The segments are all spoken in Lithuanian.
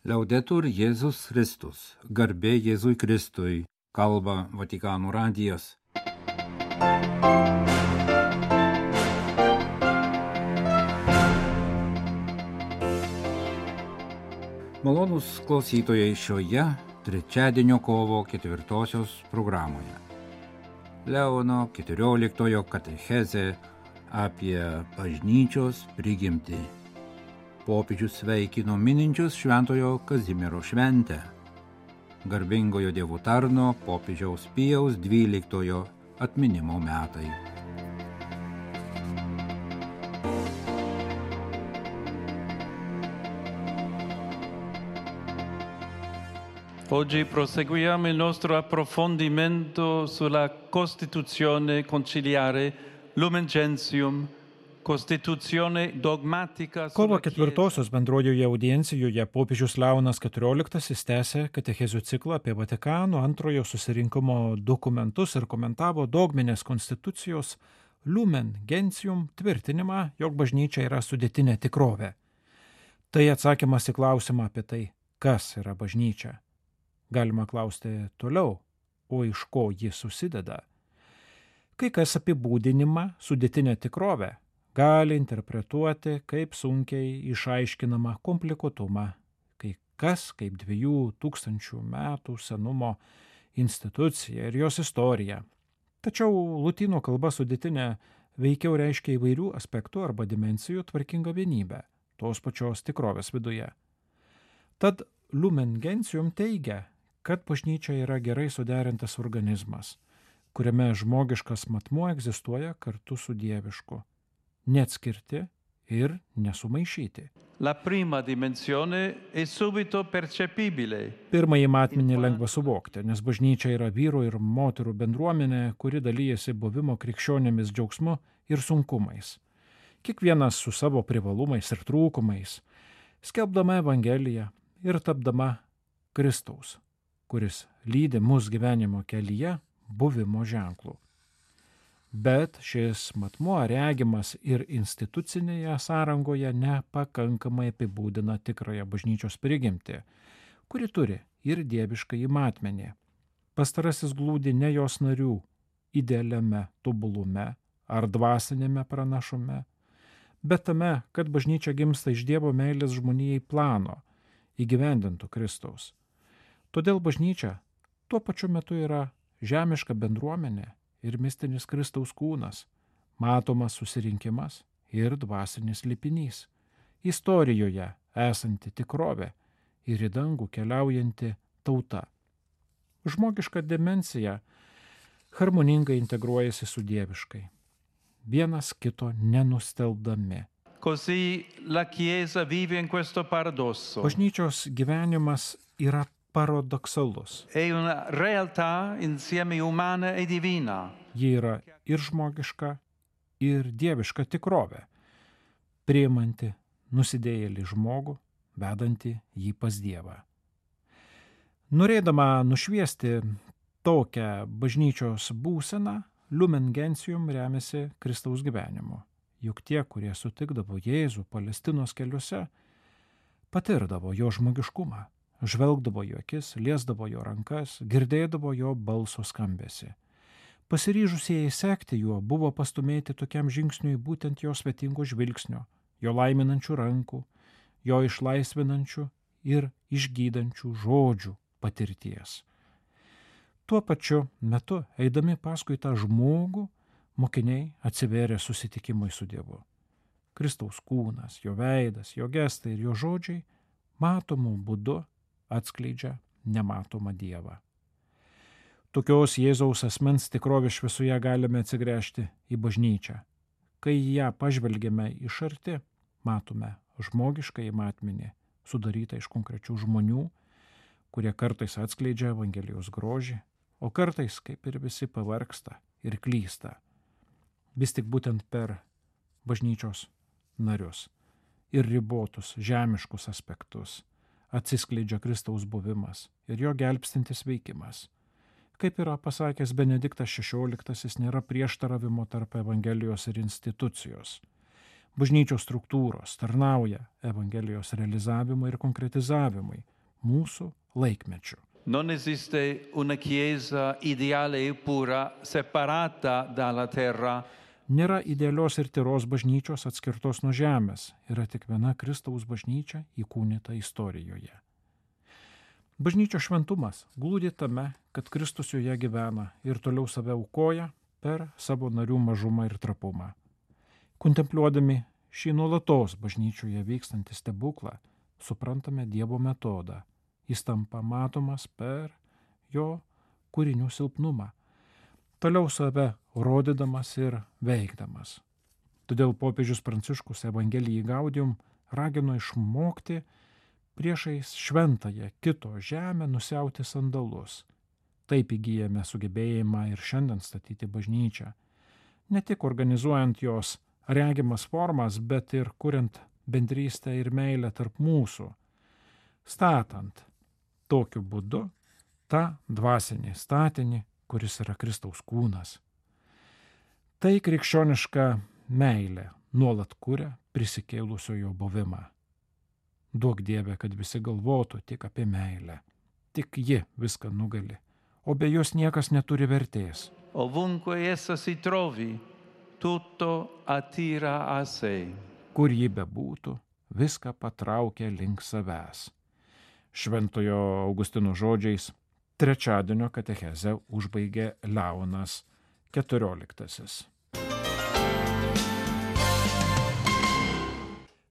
Liaudetur Jėzus Kristus, garbė Jėzui Kristui, kalba Vatikano radijas. Malonūs klausytojai šioje trečiadienio kovo 4 programoje. Leono 14 katechezė apie bažnyčios prigimtį. Popiežius sveikino mininčius Šventojo Kazimiero šventę. Garbingojo Dievo tarno popiežiaus Pijaus 12 atminimo metai. Oggi proseguiamo il nostro approfondimento sulla Costituzione conciliare Lumen Gentium, Constituzione dogmatica. Kovo 4 bendrojoje audiencijoje popiežius Leonas XIV tęsė katechezių ciklą apie Vatikano antrojo susirinkimo dokumentus ir komentavo dogminės konstitucijos Lumen Gentium tvirtinimą, jog bažnyčia yra sudėtinė tikrovė. Tai atsakymas į klausimą apie tai, kas yra bažnyčia. Galima klausti toliau, o iš ko ji susideda. Kai kas apibūdinimą sudėtinę tikrovę gali interpretuoti kaip sunkiai išaiškinamą komplikuotumą, kai kas kaip 2000 metų senumo institucija ir jos istorija. Tačiau lotynų kalba sudėtinė veikiau reiškia įvairių aspektų arba dimensijų tvarkingą vienybę, tos pačios tikrovės viduje. Tad Lumen Gentium teigia, kad bažnyčia yra gerai suderintas organizmas, kuriame žmogiškas matmuo egzistuoja kartu su dievišku, neatskirti ir nesumaišyti. La prima dimensione è subito percepibile. Pirmąjį matmenį lengva suvokti, nes bažnyčia yra vyrų ir moterų bendruomenė, kuri dalyjasi buvimo krikščionėmis džiaugsmu ir sunkumais. Kiekvienas su savo privalumais ir trūkumais, skelbdama Evangeliją ir tapdama Kristaus, kuris lydi mus gyvenimo kelyje buvimo ženklų. Bet šis matmuo regimas ir institucinėje sąrangoje nepakankamai apibūdina tikrąją bažnyčios prigimtį, kuri turi ir dieviškąjį matmenį. Pastarasis glūdi ne jos narių idealiame tobulume ar dvasinėme pranašume, bet tame, kad bažnyčia gimsta iš Dievo meilės žmonijai plano, įgyvendintų Kristaus. Todėl bažnyčia tuo pačiu metu yra žemiška bendruomenė ir mistinis Kristaus kūnas, matomas susirinkimas ir dvasinis lipinys, istorijoje esanti tikrovė ir į dangų keliaujanti tauta. Žmogiška dimensija harmoningai integruojasi su dieviškai, vienas kito nenustelbdami. Così la Chiesa vive in questo paradosso. Bažnyčios gyvenimas yra paradoksalus. È una realtà insieme umana e divina. Ji yra ir žmogiška, ir dieviška tikrovė, priimanti nusidėjėlį žmogų, vedanti jį pas Dievą. Norėdama nušviesti tokią bažnyčios būseną, Lumen Gentium remiasi Kristaus gyvenimu. Juk tie, kurie sutikdavo Jėzų Palestinos keliuose, patirdavo jo žmogiškumą. Žvelgdavo jo akis, liesdavo jo rankas, girdėdavo jo balso skambesį. Pasiryžusieji sekti juo buvo pastumėti tokiam žingsniui būtent jo svetingo žvilgsnio, jo laiminančių rankų, jo išlaisvinančių ir išgydančių žodžių patirties. Tuo pačiu metu, eidami paskui tą žmogų, mokiniai atsivėrė susitikimui su Dievu. Kristaus kūnas, jo veidas, jo gestai ir jo žodžiai matomų būdu atskleidžia nematomą Dievą. Tokios Jėzaus asmens tikrovės šviesoje galime atsigręžti į bažnyčią. Kai ją pažvelgiame iš arti, matome žmogiškąjį matmenį, sudarytą iš konkrečių žmonių, kurie kartais atskleidžia Evangelijos grožį, o kartais, kaip ir visi, pavargsta ir klysta. Vis tik būtent per bažnyčios narius ir ribotus žemiškus aspektus atsiskleidžia Kristaus buvimas ir jo gelbstintis veikimas. Kaip yra pasakęs Benediktas XVI, nėra prieštaravimo tarp Evangelijos ir institucijos. Bažnyčios struktūros tarnauja Evangelijos realizavimui ir konkretizavimui mūsų laikmečiu. Non esiste una Chiesa ideale e pura separata dalla terra. Nėra idealios ir tyros bažnyčios atskirtos nuo žemės, yra tik viena Kristaus bažnyčia įkūnyta istorijoje. Bažnyčios šventumas glūdi tame, kad Kristus joje gyvena ir toliau save aukoja per savo narių mažumą ir trapumą. Kontempliuodami šį nuolatos bažnyčioje vykstantį stebuklą, suprantame Dievo metodą. Jis tampa matomas per jo kūrinių silpnumą, toliau save rodydamas ir veikdamas. Todėl popiežius Pranciškus Evangelijai Gaudium ragino išmokti priešais šventąją kito žemę nusiauti sandalus. Taip įgyjame sugebėjimą ir šiandien statyti bažnyčią. Ne tik organizuojant jos regimas formas, bet ir kuriant bendrystę ir meilę tarp mūsų. Statant tokiu būdu tą dvasinį statinį, kuris yra Kristaus kūnas. Tai krikščioniška meilė nuolat kuria prisikėlusiojo buvimą. Duok Dieve, kad visi galvotų tik apie meilę. Tik ji viską nugali, o be jos niekas neturi vertės. Ovunque essa si trovi, tutto attira a sé. Kur ji bebūtų, viską patraukia link savęs. Šventojo Augustino žodžiais trečiadienio katechezę užbaigė Leonas XIV.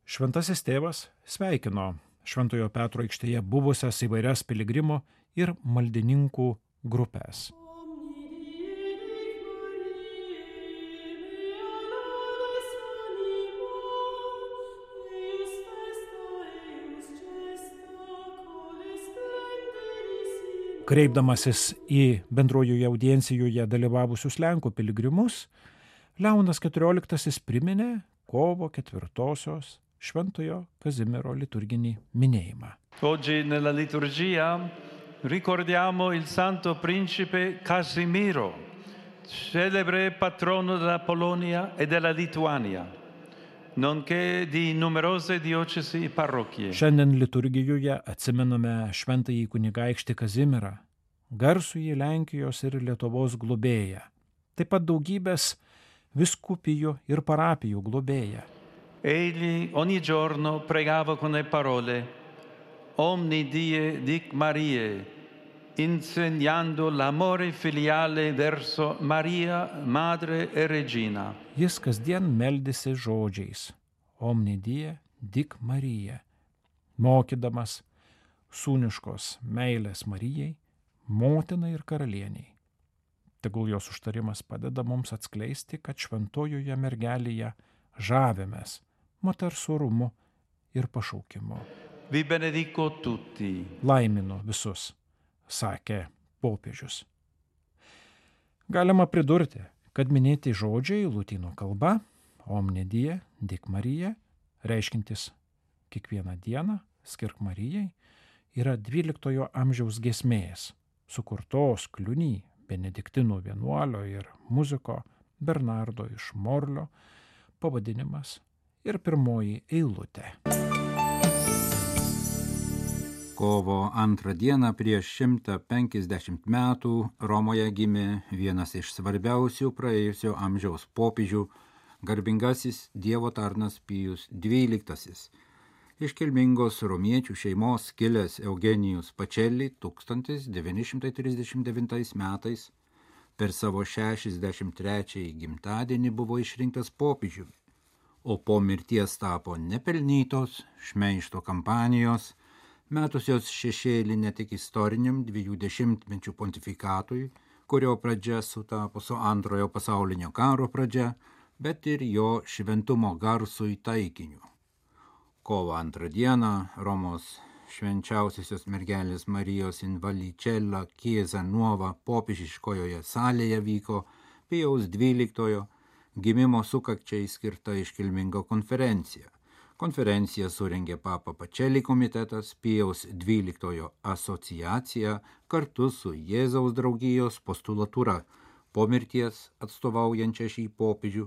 Šventasis tėvas sveikino Šventojo Petro aikštėje buvusias įvairias piligrimų ir maldininkų grupės. Kreipdamasis į bendrojoje audiencijoje dalyvavusius Lenkų piligrimus, Leonas XIV priminė kovo 4-osios Šventojo Kazimiero liturginį minėjimą. Oggi nella liturgia ricordiamo il Santo Principe Casimiro, celebre patrono della Polonia e della Lituania, nonché di numerose diocesi e parrochie. Šiandien liturgijoje atsimename šventąjį kunigaikštį Kazimierą, garsųjį Lenkijos ir Lietuvos globėją, taip pat daugybės vyskupijų ir parapijų globėją. Egli ogni giorno pregava con le parole Omni die dic Mariae, insegnando l'amore filiale verso Maria, Madre e Regina. Jis kasdien meldėsi žodžiais Omni die dic Mariae, mokydamas sūniškos meilės Marijai, motinai ir karalieniai. Tegul jos užtarimas padeda mums atskleisti, kad šventojoje mergelėje žavimės moters orumu ir pašaukimu. Vi benedico tutti. Laiminu visus, sakė popiežius. Galima pridurti, kad minėti žodžiai lotynų kalba Omni die dic Mariae, reiškintis kiekvieną dieną skirk Marijai, yra 12 amžiaus giesmės, sukurtos Kliuny, benediktinų vienuolio ir muziko Bernardo iš Morlio, pavadinimas ir pirmoji eilutė. Kovo 2 dieną prieš 150 metų Romoje gimė vienas iš svarbiausių praėjusio amžiaus popiežių, garbingasis Dievo tarnas Pijus XII. Iškilmingos romiečių šeimos kilęs Eugenijus Pacelli 1939 metais per savo 63 gimtadienį buvo išrinktas popiežiumi, o po mirties tapo nepelnytos šmeižto kampanijos, metusios šešėlį ne tik istoriniam 20-mečių pontifikatui, kurio pradžia sutapo su Antrojo pasaulinio karo pradžia, bet ir jo šventumo garsui taikiniu. Kovo 2 dieną Romos švenčiausiosios mergelės Marijos in Vallicella Chiesa Nuova popiežiškojoje salėje vyko Pijaus XII gimimo sukakčiai skirta iškilminga konferencija. Konferenciją surengė Papa Pacelli komitetas, Pijaus XII asociacija kartu su Jėzaus draugijos postulatūra po mirties atstovaujančia šį popiežių,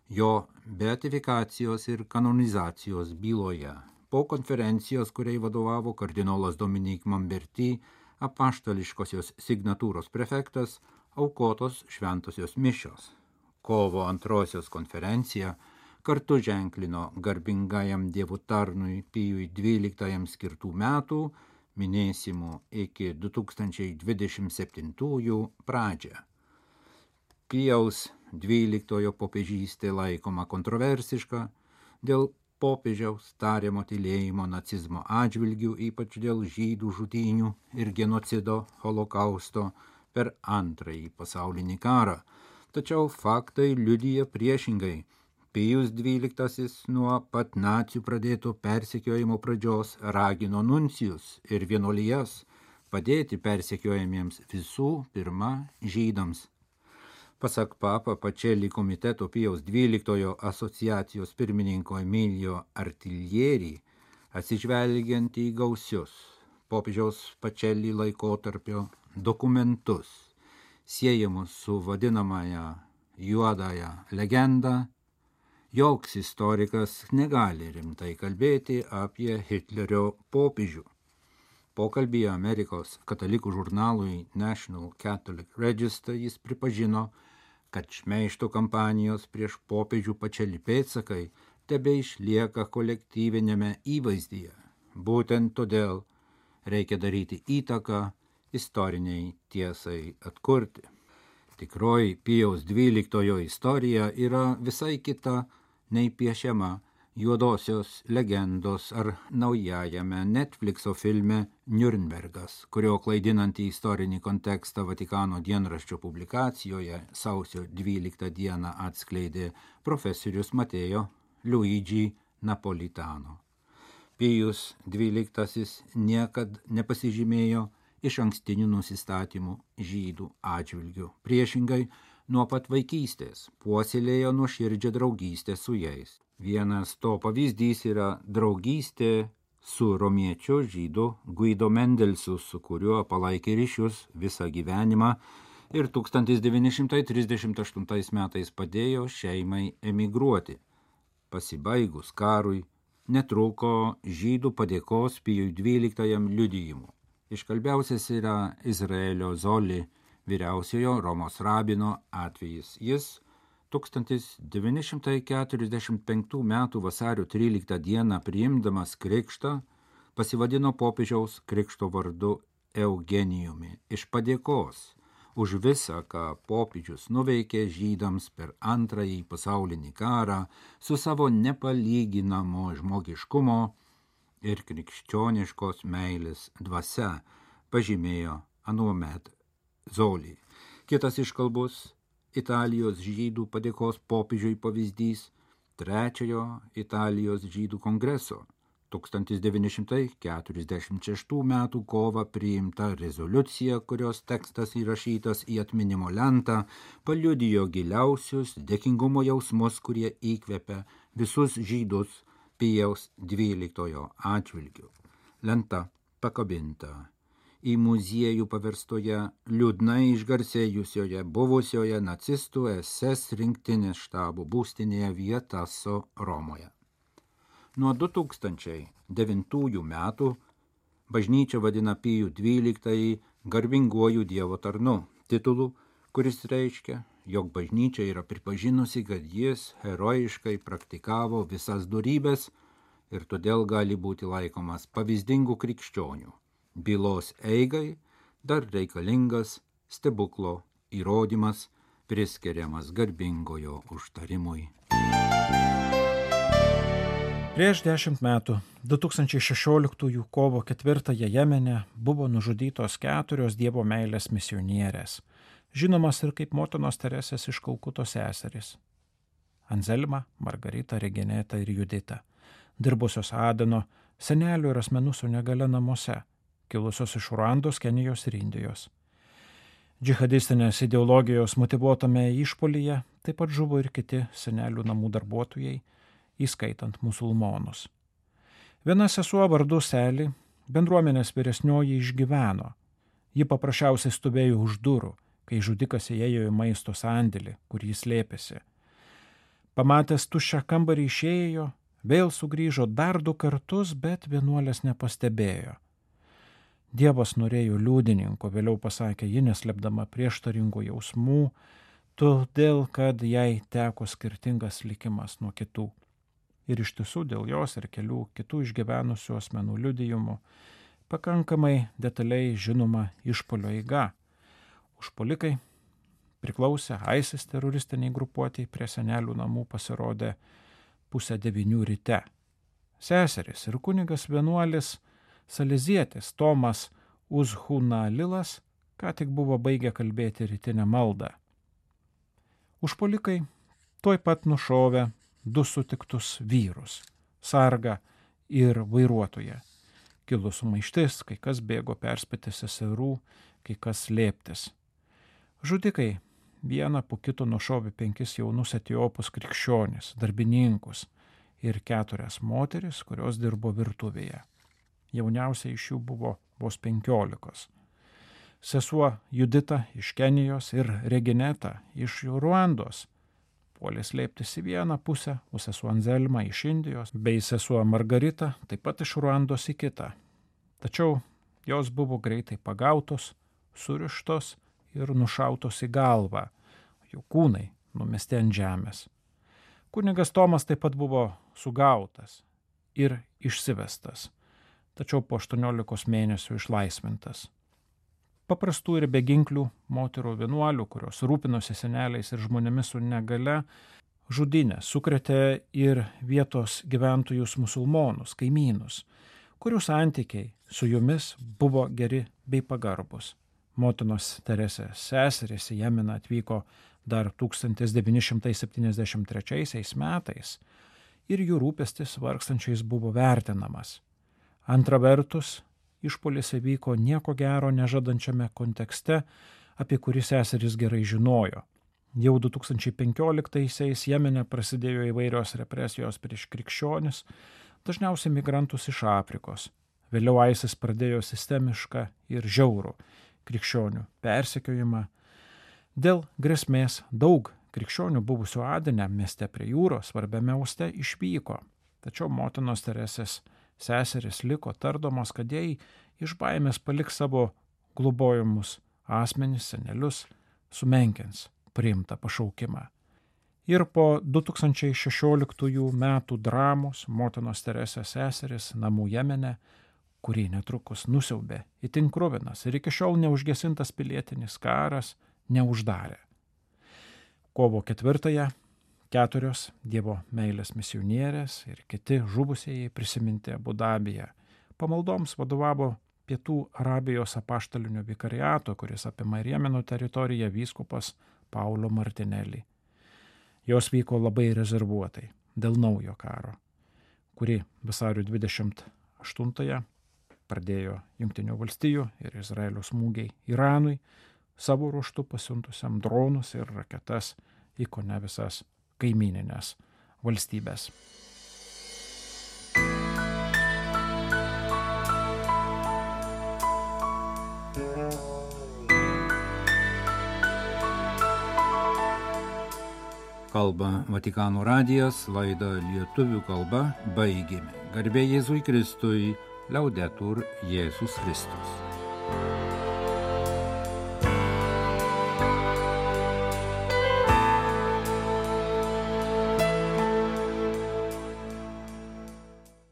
jo beatifikacijos ir kanonizacijos byloje. Po konferencijos, kuriai vadovavo kardinolas Dominik Mamberti, apaštališkosios signatūros prefektas, aukotos šventosios mišios. Kovo 2 konferencija kartu ženklino garbingajam Dievo tarnui Pijui XII skirtų metų, minėsimų iki 2027 pradžią. Pijaus XII popiežystė laikoma kontroversiška dėl popiežiaus tariamo tylėjimo nacizmo atžvilgių, ypač dėl žydų žudynių ir genocido holokausto per Antrąjį pasaulinį karą. Tačiau faktai liudija priešingai. Pijus XII nuo pat nacių pradėto persekiojimo pradžios ragino nuncijus ir vienuolijas padėti persekiojamiems visų pirma žydams. Pasak Papa Pacelli komiteto Pijaus XII asociacijos pirmininko Emilio Artilieri, atsižvelgiant į gausius popiežiaus Pacelli laikotarpio dokumentus, siejamus su vadinamąja juodąja legenda, joks istorikas negali rimtai kalbėti apie Hitlerio popiežių. Pokalbyje Amerikos katalikų žurnalui National Catholic Register jis pripažino, kad šmeižto kampanijos prieš popiežių Pacelli pėdsakai tebeišlieka kolektyvinėme įvaizdyje. Būtent todėl reikia daryti įtaką istoriniai tiesai atkurti. Tikroji Pijaus XII istorija yra visai kita nei piešiama juodosios legendos ar naujajame Netflixo filme Niurnbergas, kurio klaidinantį istorinį kontekstą Vatikano dienraščio publikacijoje sausio 12 dieną atskleidė profesorius Mateo Luigi Napolitano. Pijus XII niekad nepasižymėjo iš ankstinių nusistatymų žydų atžvilgių. Priešingai, nuo pat vaikystės puoselėjo nuoširdžią draugystę su jais. Vienas to pavyzdys yra draugystė su romiečiu žydu Guido Mendelsu, su kuriuo palaikė ryšius visą gyvenimą ir 1938 metais padėjo šeimai emigruoti. Pasibaigus karui netruko žydų padėkos Pijui XII liudijimų. Iškalbiausias yra Izraelio Zoli, vyriausiojo Romos rabino atvejis. Jis 1945 m. vasario 13 dieną priimdamas krikštą pasivadino popiežiaus krikšto vardu Eugenijumi iš padėkos už visą, ką popiežius nuveikė žydams per Antrąjį pasaulinį karą su savo nepalyginamo žmogiškumo ir krikščioniškos meilės dvasia, pažymėjo anuomet Zoli. Kitas iškalbus Italijos žydų padėkos popiežiui pavyzdys Trečiojo Italijos žydų kongreso 1946 m. kovą priimta rezoliucija, kurios tekstas įrašytas į atminimo lentą, paliudijo giliausius dėkingumo jausmus, kurie įkvepia visus žydus Pijaus XII atžvilgiu. Lenta pakabinta į muziejų paverstoje liūdnai išgarsėjusioje buvusioje nacistų SS rinktinės štabo būstinėje Vietaso Romoje. Nuo 2009 metų bažnyčia vadina Pijų XII garbinguoju Dievo tarnu, titulu, kuris reiškia, jog bažnyčia yra pripažinusi, kad jis herojiškai praktikavo visas dorybes ir todėl gali būti laikomas pavyzdingu krikščioniu. Bylos eigai dar reikalingas stebuklo įrodymas priskiriamas garbingojo užtarimui. Prieš 10 metų, 2016 kovo 4 Jemene buvo nužudytos 4 Dievo meilės misionierės, žinomas ir kaip motinos Teresės iš Kalkutos seserys. Anzelma, Margarita, Regeneta ir Judita, dirbusios Adeno, senelių ir asmenų su negalia namuose, kilusios iš Ruandos, Kenijos ir Indijos. Džihadistinės ideologijos motyvuotame išpolyje taip pat žuvo ir kiti senelių namų darbuotojai, įskaitant musulmonus. Viena sesuo vardu Seli, bendruomenės vyresnioji, išgyveno. Ji paprasčiausiai stovėjo už durų, kai žudikas įėjo į maisto sandėlį, kur jis slėpėsi. Pamatęs tuščią kambarį išėjo, vėl sugrįžo dar 2 kartus, bet vienuolės nepastebėjo. Dievas norėjo liudininko, vėliau pasakė ji, neslėpdama prieštaringų jausmų, todėl, kad jai teko skirtingas likimas nuo kitų. Ir iš tiesų dėl jos ir kelių kitų išgyvenusių asmenų liudijimų pakankamai detaliai žinoma išpuolio eiga. Užpuolikai priklausė ISIS teroristiniai grupuotei, prie senelių namų pasirodė 8:30 ryte. Seserys ir kunigas vienuolis salezietis Tomas Uzhunalilas ką tik buvo baigę kalbėti rytinę maldą. Užpuolikai tuoj pat nušovė 2 sutiktus vyrus - sargą ir vairuotoją. Kilus sumaištis, kai kas bėgo perspėti seserų, kai kas slėptis. Žudikai vieną po kito nušovė 5 jaunus etiopus krikščionis, darbininkus ir 4 moteris, kurios dirbo virtuvėje. Jauniausia iš jų buvo vos 15. Sesuo Judita iš Kenijos ir Regineta iš Ruandos puolė slėptis į vieną pusę, o sesuo Anzelma iš Indijos bei sesuo Margarita taip pat iš Ruandos į kitą. Tačiau jos buvo greitai pagautos, surištos ir nušautos į galvą, jų kūnai numesti ant žemės. Kunigas Tomas taip pat buvo sugautas ir išsivestas, tačiau po 18 mėnesių išlaisvintas. Paprastų ir beginklių moterų vienuolių, kurios rūpinosi seneliais ir žmonėmis su negale, žudynė sukrėtė ir vietos gyventojus musulmonus, kaimynus, kurių santykiai su jumis buvo geri bei pagarbus. Motinos Teresės seserys į Jemeną atvyko dar 1973 metais ir jų rūpestis vargstančiais buvo vertinamas. Antra vertus, išpuolis įvyko nieko gero nežadančiame kontekste, apie kurį seserys gerai žinojo. Jau 2015-aisiais Jemene prasidėjo įvairios represijos prieš krikščionis, dažniausiai migrantus iš Afrikos. Vėliau ISIS pradėjo sistemišką ir žiaurų krikščionių persekiojimą. Dėl grėsmės daug krikščionių buvusių Adene mieste prie jūros svarbiame uoste išvyko, tačiau motinos Teresės seserys liko tardamos, kad jai iš baimės paliks savo globojamus asmenis, senelius, sumenkins priimtą pašaukimą. Ir po 2016 metų dramos motinos Teresės seserys namų Jemene, kurį netrukus nusiaubė itin kruvinas ir iki šiol neužgesintas pilietinis karas, neuždarė. Kovo 4-ąją 4 Dievo meilės misionierės ir kiti žuvusieji prisiminti Abu Dabyje. Pamaldoms vadovavo Pietų Arabijos apaštalinio vikariato, kuris apima ir Jemeno teritoriją, vyskupas Paulo Martinelli. Jos vyko labai rezervuotai dėl naujo karo, kurį vasario 28-ąją pradėjo Jungtinių valstijų ir Izraelio smūgiai Iranui, savo ruožtu pasiuntusiam dronus ir raketas į kone visas kaimininės valstybės. Kalba Vatikano radijas, laidą lietuvių kalba baigėme. Garbė Jėzui Kristui, Liaudetur Jėzus Kristus.